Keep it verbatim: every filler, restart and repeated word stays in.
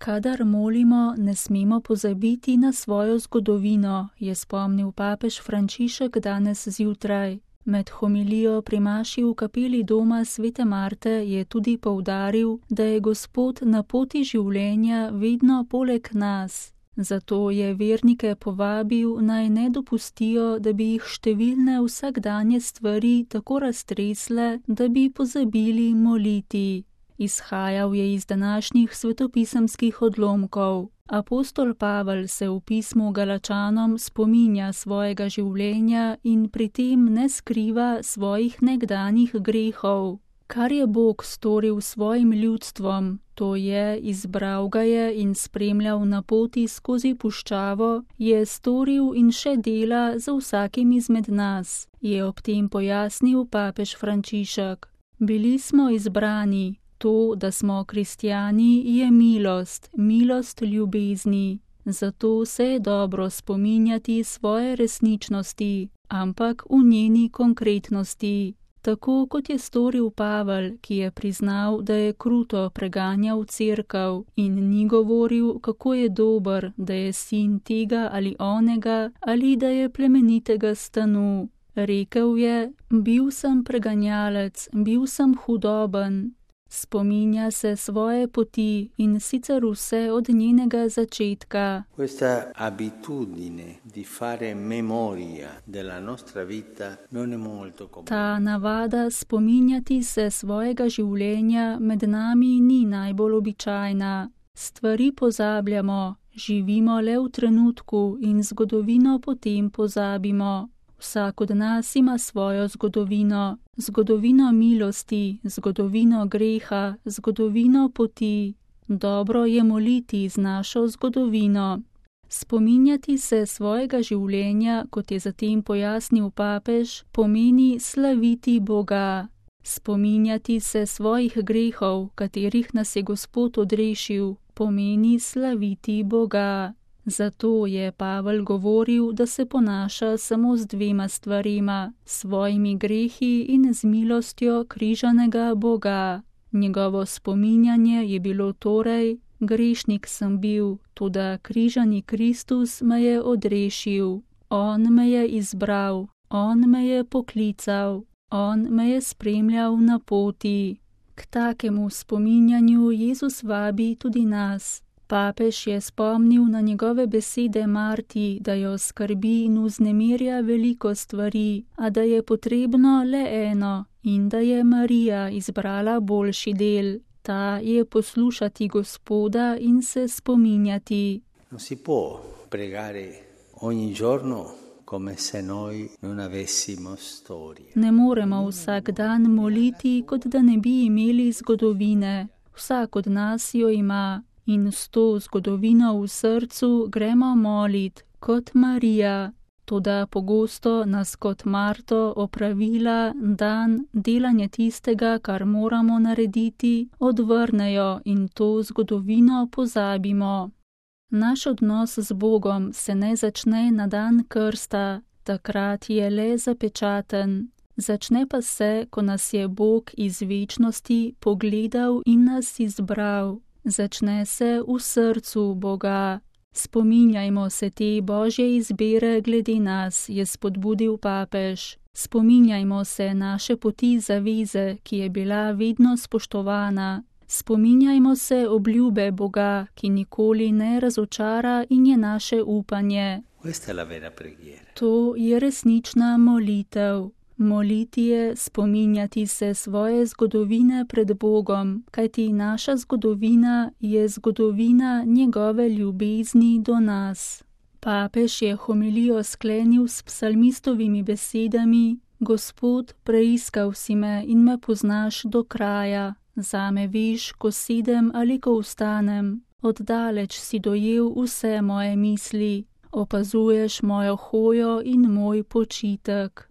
Kadar molimo, ne smemo pozabiti na svojo zgodovino, je spomnil papež Frančišek danes zjutraj. Med homilijo pri maši v kapeli doma svete Marte je tudi poudaril, da je Gospod na poti življenja vedno poleg nas. Zato je vernike povabil, naj ne dopustijo, da bi jih številne vsakdanje stvari tako raztresle, da bi pozabili moliti. Izhajal je iz današnjih svetopisemskih odlomkov. Apostol Pavel se v pismu Galačanom spominja svojega življenja in pri tem ne skriva svojih nekdanjih grehov. Kar je Bog storil svojim ljudstvom, to je, izbral ga je in spremljal na poti skozi puščavo, je storil in še dela za vsakim izmed nas, je ob tem pojasnil papež Frančišek. Bili smo izbrani. To, da smo kristjani, je milost, milost ljubezni. Zato se je dobro spominjati svoje resničnosti, ampak v njeni konkretnosti. Tako kot je storil Pavel, ki je priznal, da je kruto preganjal cerkev in ni govoril, kako je dober, da je sin tega ali onega ali da je plemenitega stanu. Rekel je, bil sem preganjalec, bil sem hudoben. Spominja se svoje poti in sicer vse od njenega začetka. Questa abitudine di fare memoria della nostra vita non è molto comune. Ta navada spominjati se svojega življenja med nami ni najbolj običajna. Stvari pozabljamo, živimo le v trenutku in zgodovino potem pozabimo. Vsak od nas ima svojo zgodovino. Zgodovino milosti, zgodovino greha, zgodovino poti. Dobro je moliti z našo zgodovino. Spominjati se svojega življenja, kot je zatem pojasnil papež, pomeni slaviti Boga. Spominjati se svojih grehov, katerih nas je Gospod odrešil, pomeni slaviti Boga. Zato je Pavel govoril, da se ponaša samo z dvema stvarima, svojimi grehi in z milostjo križanega Boga. Njegovo spominjanje je bilo torej, grešnik sem bil, toda križani Kristus me je odrešil. On me je izbral, on me je poklical, on me je spremljal na poti. K takemu spominjanju Jezus vabi tudi nas. Papež je spomnil na njegove besede Marti, da jo skrbi in vznemirja veliko stvari, a da je potrebno le eno in da je Marija izbrala boljši del. Ta je poslušati Gospoda in se spominjati. Non si può pregare ogni giorno come se noi non avessimo storia. Ne moremo vsak dan moliti, kot da ne bi imeli zgodovine. Vsak od nas jo ima. In s to zgodovino v srcu gremo molit, kot Marija. Toda pogosto nas kot Marto opravila, dan, delanje tistega, kar moramo narediti, odvrnejo in to zgodovino pozabimo. Naš odnos z Bogom se ne začne na dan krsta, takrat je le zapečaten. Začne pa se, ko nas je Bog iz večnosti pogledal in nas izbral. Začne se v srcu Boga. Spominjajmo se te Božje izbire glede nas, je spodbudil papež. Spominjajmo se naše poti zaveze, ki je bila vedno spoštovana. Spominjajmo se obljube Boga, ki nikoli ne razočara in je naše upanje. To je resnična molitev. Moliti je spominjati se svoje zgodovine pred Bogom, kajti naša zgodovina je zgodovina njegove ljubezni do nas. Papež je homilijo sklenil s psalmistovimi besedami: Gospod, preiskal si me in me poznaš do kraja. Zame veš, ko sedem ali ko vstanem. Oddaleč si dojel vse moje misli. Opazuješ mojo hojo in moj počitek.